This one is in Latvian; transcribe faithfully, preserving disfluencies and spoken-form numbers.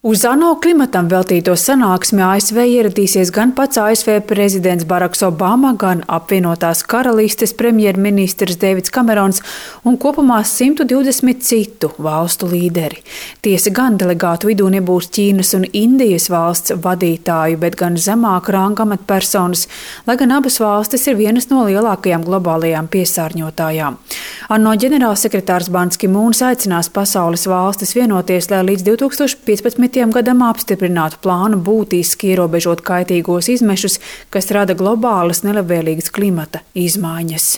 Uz ANO klimatam veltīto sanāksmi A S V ieradīsies gan pats A S V prezidents Baraks Obama, gan apvienotās karalistes premjerministrs Deivids Kamerons un kopumā simt divdesmit citu valstu līderi. Tiesa gan delegātu vidū nebūs Ķīnas un Indijas valsts vadītāju, bet gan zemāka ranga amatpersonas, lai gan abas valstis ir vienas no lielākajām globālajām piesārņotājām. ANO ģenerālsekretārs Ban Ki Mūns aicinās pasaules valstis vienoties, lai līdz divs tūkstoš piecpadsmitajam gadam apstiprinātu plānu būtiski ierobežot kaitīgos izmešus, kas rada globālas nelabvēlīgas klimata izmaiņas.